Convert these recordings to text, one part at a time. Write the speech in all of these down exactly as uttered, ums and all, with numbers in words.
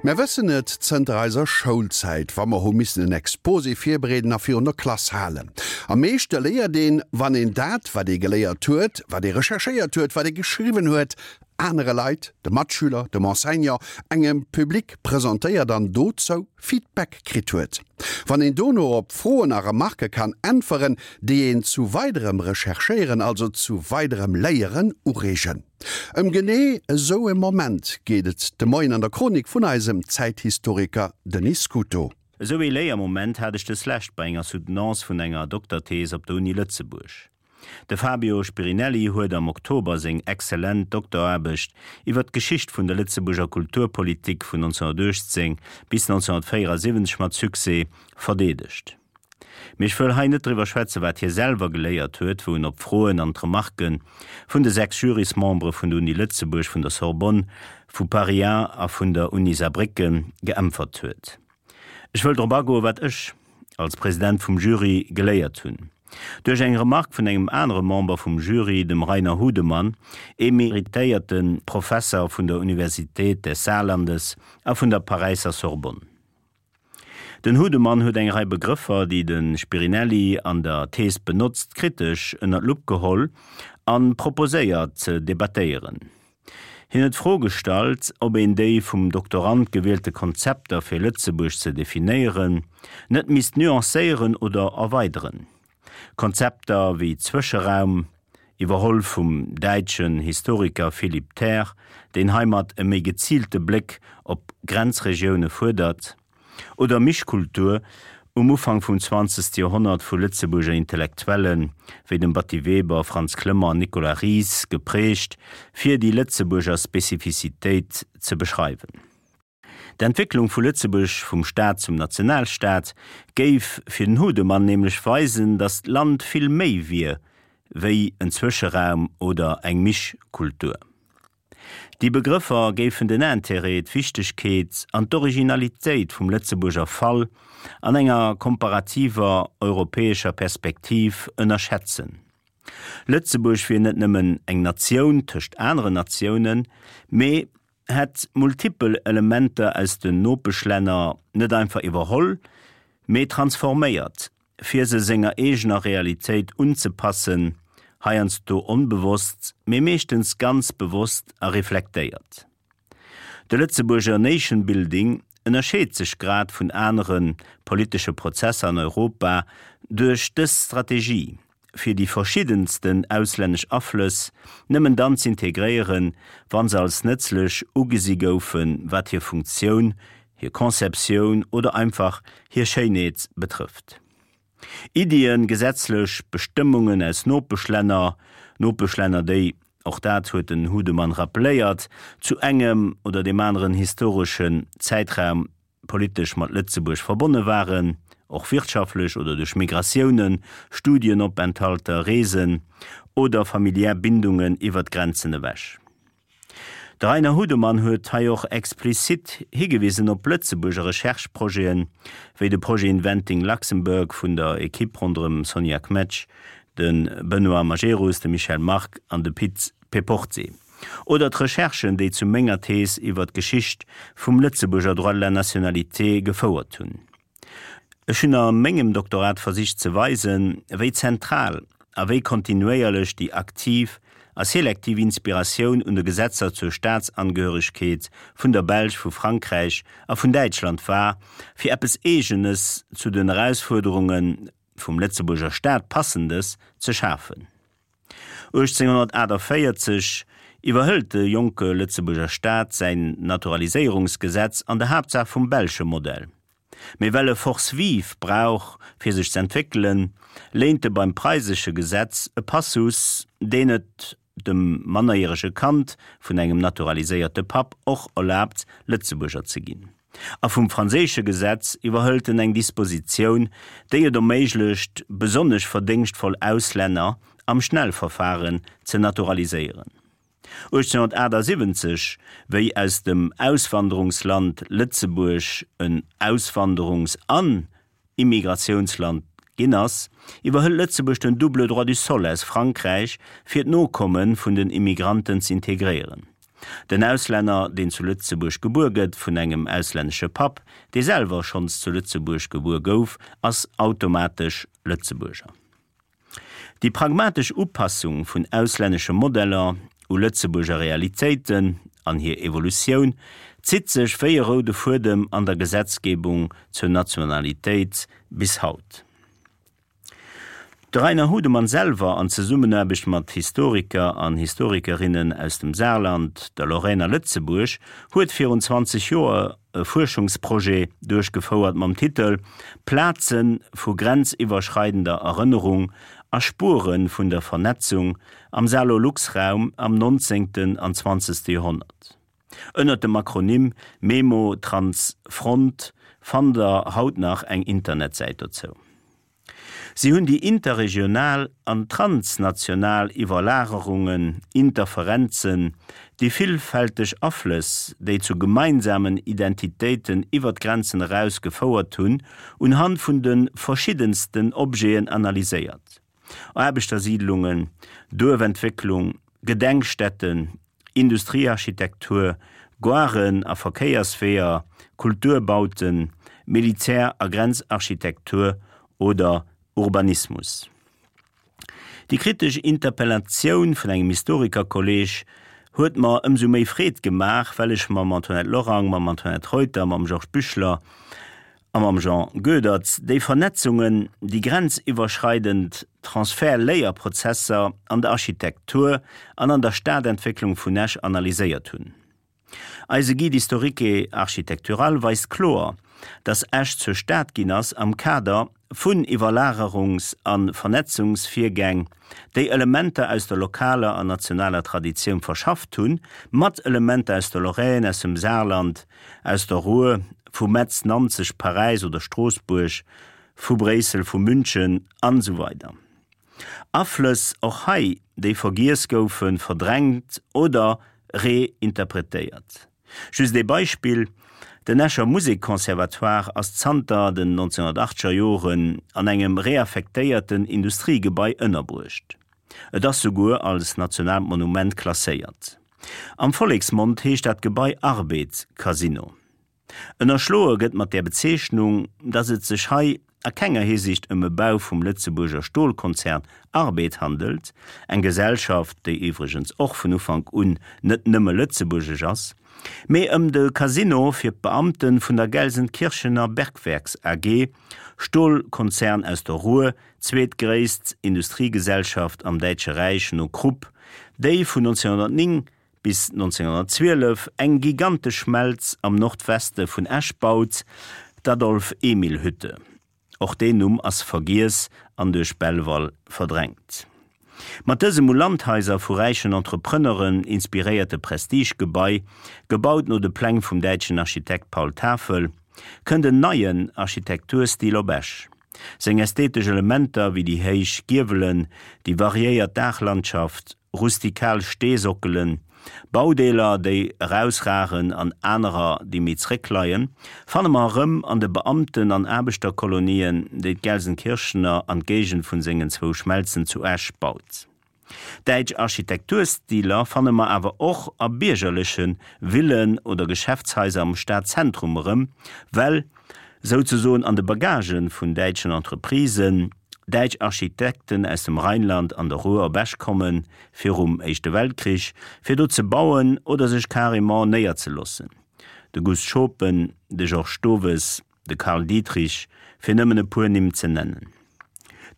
Mär wëssen et zënter eiser Schoulzäit, wa mer hu missen en Exposé virbereeden a virun der Klass halen. Am meeschte léiert een, wann een dat, wat ee geléiert huet, wat ee recherchéiert huet, wat ee geschriwwen huet, anere Leit, de Matschüler, dem Enseignant, engem Public presentéiert an dozou Feedback kritt huet. Wann een dono op Froen a Remarke kann äntweren, déi een zu weiderem Recherchéieren, also zu weiderem Léieren ureegen. Ëm genee esou e Moment geet et de Moien an der Chronik vun eisem Zäithistoriker Denis Scuto. Esou ee Léiermoment hat ech deslescht bei enger Soutenance vun enger Dokterthees op der Uni Lëtzebuerg. De Fabio Spirinelli huet am Oktober seng exzellent Dokteraarbecht iwwer d'Geschicht vun der Lëtzebuerger Kulturpolitik vun nonzénhunnertuechtzéng bis nonzénhunnertvéierasiwwenzeg mat Succès verdeedegt. Mee ech wëll hei net driwwer schwätzen, wat hie selwer geléiert huet, wou en op d'Froen an d'Remarke vun de sechs Jurysmembere vun der Uni Lëtzebuerg, vun der Sorbonne, vu Paris I a vun der Uni Saarbrécken geäntwert huet. Ech wëll drop agoen, wat ech als President vum Jury geléiert hunn. Duerch eng Remark vun engem anere Member vum Jury, dem Rainer Hudemann, emeritéierte Professer vun der Universität des Saarlandes a vun der Paräisser Sorbonne. Den Hudemann huet eng Rei Begrëffer, déi de Spirinelli an der Thees benotzt, kritesch ënner d'Lupp geholl a proposéiert ze debattéieren. Hien huet d'Fro gestallt, ob een déi vum Doktorand gewielte Konzepter fir Lëtzebuerg ze definéieren, net misst nuancéieren oder erweideren. Konzepter wéi Zwëscheraum, iwwerholl vum däitschen Historiker Philipp Ther, deen heimat e méi geziilte Bléck op Grenzregioune fuerdert, oder Mischkultur, um Ufank vum zwanzegste Joerhonnert vu Lëtzebuerger Intellektuelle wéi dem Batty Weber, Frantz Clement an Nicolas Ries geprägt, fir déi Lëtzebuerger Spezifizitéit ze beschreiwen. D'Entwécklung vu Lëtzebuerg vum Staat zum Nationalstaat géif fir den Hudemann nämlech weisen, datt d'Land vill méi wier wéi en Zwëscheraum oder eng Mischkultur. Déi Begrëffer géifen den Intérêt, d'Wichtegkeet an d'Originalitéit vum Lëtzebuerger Fall an enger komparativer europäescher Perspektiv ënnerschätzen. Lëtzebuerg wier net nëmmen eng Natioun tëscht aneren Natiounen, mee hätt multipel Elementer aus den Nopeschlänner net einfach iwwerholl, mee transforméiert, fir se senger eegener Realitéit unzepassen, heiansdo onbewosst, mee meeschtens ganz bewosst a reflektéiert. De Lëtzebuerger Nation Building ënnerscheet sech grad vun anere politesche Prozesser an Europa duerch dës Strategie, fir déi verschiddensten auslännesch Aflëss nëmmen dann z'integréieren, wa se als nëtzlech ugesi goufen, wat hir Funktioun, hir Conceptioun oder einfach hir Schéinheet betrëfft. Iddien, gesetzlech Bestëmmungen aus Nopeschlänner, Nopeschlänner, déi, och dat huet den Hudemann rappeléiert, zu engem oder deem aneren historeschen Zäitraum politesch mat Lëtzebuerg verbonne waren, och wirtschaftlech oder duerch Migratiounen, Studienopenthalter, Reesen oder familiär Bindungen iwwer d'Grenzen ewech. De Rainer Hudemann huet hei och explizit higewisen op Lëtzebuerger Recherche-Projeten, wéi de Projet Inventing Luxembourg vun der Ekipp ronderëm Sonja Kmetsch, de Benoît Majerus, de Michel Margue an de Pit Péporté. Oder d'Recherchen, déi zu menger Thees iwwer d'Geschicht vum Lëtzebuerger Droit de la nationalité gefouert hunn. Ech hunn a mengem Doktorat versicht ze weisen, wéi zentral a wéi kontinuéierlech déi aktiv a selektiv Inspiratioun un de Gesetzer zur Staatsangehöregkeet vun der Belsch, vu Frankräich a vun Däitschland war, fir eppes Eegenes, zu den Erausfuerderunge vum Lëtzebuerger Staat Passendes, ze schafen. uechtzénghunnertaachtavéierzeg iwwerhëlt de jonke Lëtzebuerger Staat säin Naturaliséierungsgesetz an der Haaptsaach vum belsche Modell. Mee well e Force vive brauch, fir sech z'entwéckelen, léint e beim preisesche Gesetz e Passus, deen et dem mannerjärege Kand vun engem naturaliséierte Papp och erlaabt, Lëtzebuerger ze ginn. A vum franséische Gesetz iwwerhëlt en eng Dispositioun, déi et erméiglecht, besonnesch verdéngschtvoll Auslänner am Schnellverfaren ze naturaliséieren. uechtzénhunnertaachtsiwwenzeg, wéi aus dem Auswanderungsland Lëtzebuerg en Auswanderungs an Immigratiounsland ginn ass, iwwerhëlt Lëtzebuerg den double droit du sol aus Frankräich, fir d'Nokomme vun den Immigranten z'integréieren. Den Auslänner, deen zu Lëtzebuerg gebuer gëtt vun engem auslännesche Papp, dee selwer schonns zu Lëtzebuerg gebuer gouf, ass automatesch Lëtzebuerger. Déi pragmatesch Upassung vun auslännesche Modeller u Lëtzebuerger Realitéiten an hir Evolutioun zitt sech wéi e roude Fuedem an der Gesetzgebung zur Nationalitéit bis haut. De Rainer Hudemann selwer an Zesummenaarbecht mat Historiker an Historikerinnen aus dem Saarland, der Lorraine a Lëtzebuerg huet virun zwanzeg Joer e Fuerschungsprojet duerchgefouert mam Titel Plaze vu grenziwwerschreidender Erënnerung a Spuere vun der Vernetzung am Saarlorlux-Raum am nonzéngten an zwanzegste Joerhonnert. Ënnert dem Akronym Memotransfront fannt der haut nach eng Internetsäit dozou. Si hunn déi interregional an transnational Iwwerlagerungen, Interferenzen, déi villfälteg Aflëss, déi zu gemeinsamen Identitéiten iwwer d'Grenzen eraus gefouert hunn, unhand vun de verschiddensten Objeten analyséiert, Aarbechtersiidlungen, Duerfentwécklung, Gedenkstätten, Industriearchitektur, Garen a Verkéiersweeër, Kulturbauten, Militär a Grenzarchitektur oder Urbanismus. Déi kritesch Interpellatioun vun engem Historikerkolleg huet mer ëmsou méi Freed gemaach, well ech mam Antoinette Lorang, mam Antoinette Reuter, mam Georges Büchler a mam Jean Goedert déi Vernetzungen, déi grenziwwerschreidend Transfert-Léierprozesser an der Architektur an an der Stadentwécklung vun Esch analyséiert hunn. Eise Guide historique architectural weist kloer, dass Esch zur Stad ginn ass am Kader vun Iwwerlagerungs a Vernetzungsvirgäng, déi Elementer aus der lokaler an nationaler Traditioun verschafft hunn, mat Elementer aus der Lorraine, aus dem Saarland, aus der Ruhr, vu Metz, Nanzeg, Paräis oder Stroossbuerg, vu Bréissel, vu München an esou weider. Aflëss och hei, déi vergiess goufen, verdrängt oder reinterpretéiert. Just ee Beispill, Den Escher Musekconservatoire ass zanter den nonzénhunnertachteger Joren an engem reaffektéierten Industriegebai ënnerbruecht. Et ass souguer als nationaalt Monument klasséiert. Am Volleksmond heescht dat Gebai Arbed-Casino. Ënnerschloe gëtt mat där Bezeechnung, datt et sech hei a kenger Hisiicht ëm e Bau vum Lëtzebuerger Stolkonzern Arbed handelt, eng Gesellschaft, déi iwwregens och vun Ufank un net nëmme lëtzebuergesch ass, mee ëm de Casino fir d'Beamte vun der Gelsenkirchener Bergwerks A G, Stolkonzern aus der Ruhr, zweetgréisst Industriegesellschaft am Däitsche Räich no Krupp, déi vun nonzénhunnertnéng bis nonzénhunnertzwielef eng gigantesch Schmelz am Nordweste vun Esch baut, d'Adolf-Emil-Hütte. Och deen Numm ass vergiess an duerch Belval verdrängt. Mat dësem u Landhaiser vu räichen Entrepreneuren inspiréierte Prestigegebai, gebaut no de Pläng vum däitschen Architekt Paul Tafel, kënnt en neien Architekturstil op Esch. Seng ästhetesch Elementer wéi déi héich Giewelen, déi variéiert Daachlandschaft, rustikal Steesockelen, Baudeeler, déi erausragen an anerer, déi méi zréckleien, fanne mer erëm an de Beamten an Aarbechterkolonien, déi d'Gelsenkirchener an d'Géigend vun sengen zwou Schmelzen zu Esch baut. Däitsch Architekturstiler fanne mer awer och a biergerleche Villen oder Geschäftshaiser am Stadzentrum erëm, well souzesoen an de Bagagë vun däitschen Entreprisen däitsch Architekten aus dem Rheinland an der Ruhr op Esch kommen, virum Éischte Weltkrich, fir do ze bauen oder sech carrément néierzeloossen, de Gust Schopen, de Georges Stowes, de Carl Dietrich, fir nëmmen e puer Nimm ze nennen.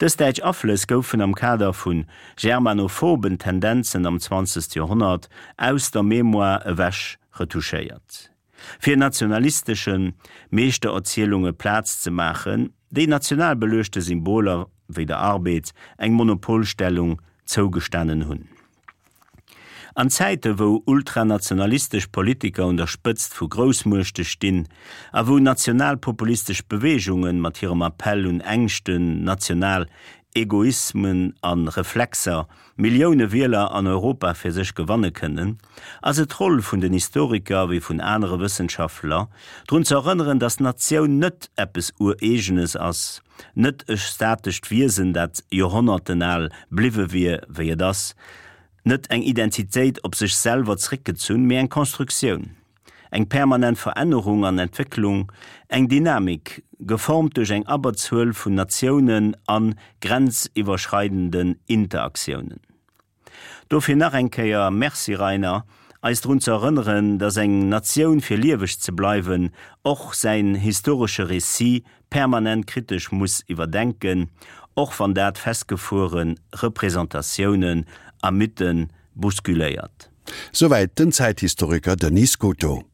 Dës däitsch Aflëss goufen am Kader vu germanophoben Tendenzen am zwanzegste Joerhonnert aus der Mémoire ewech retouchéiert, fir nationalistesche Meeschtererzielunge Plaz ze maachen, déi national beluechte Symboler wéi der Arbed eng Monopolstellung zougestanen hunn. An Zäite wou ultranationalistesch Politiker un der Spëtzt vu Groussmuechte stinn a wou nationalpopulistesch Beweegunge mat hirem Appell un Ängschten, national Egoismen a Reflexer Millioune Wieler an Europa fir sech gewanne kënnen, ass et d'Roll vun den Historiker wéi vun anere Wëssenschaftler, drun ze erënneren, datt d'Natioun net eppes Ureegenes ass, net e statescht Wiesen, dat joerhonnertenal bliwwe wier, wéi et ass, net eng Identitéit op sech selwer zréckgezunn, mee eng Konstruktioun. Eng permanent Verännerung an Entwécklung, eng Dynamik, geformt duerch eng Abberzuel vun Natiounen an grenziwwerschreidenden Interaktiounen. Dofir nach eng Kéier Merci Rainer, eis drun ze erënneren, dass eng Natioun fir lieweg ze bleiwen och säin historesche Récit permanent kritesch muss iwwerdenken, och wann dat festgefuere Representatiounen a Mythen bousculéiert. Souwäit den Zäithistoriker Denis Scuto.